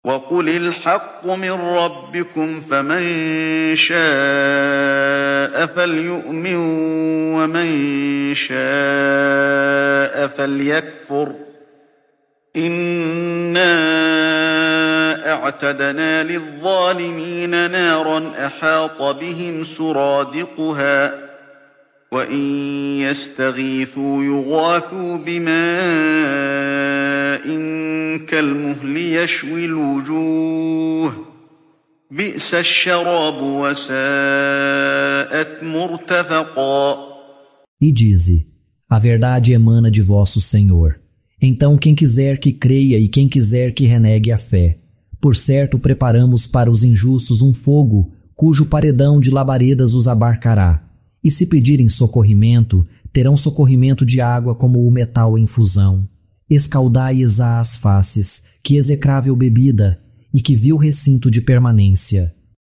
وقل الحق من ربكم فمن شاء فليؤمن ومن شاء فليكفر إنا اعتدنا للظالمين نارا أحاط بهم سرادقها وإن يستغيثوا يغاثوا بماء كالمهل يشوي الوجوه بئس الشراب وساءت مرتفقا. E dize: a verdade emana de vosso Senhor. Então quem quiser que creia e quem quiser que renegue a fé. Por certo preparamos para os injustos um fogo, cujo paredão de labaredas os abarcará. E se pedirem socorrimento, terão socorrimento de água como o metal em fusão. Escaldai-lhes as faces, que execrável bebida, e que vil recinto de permanência.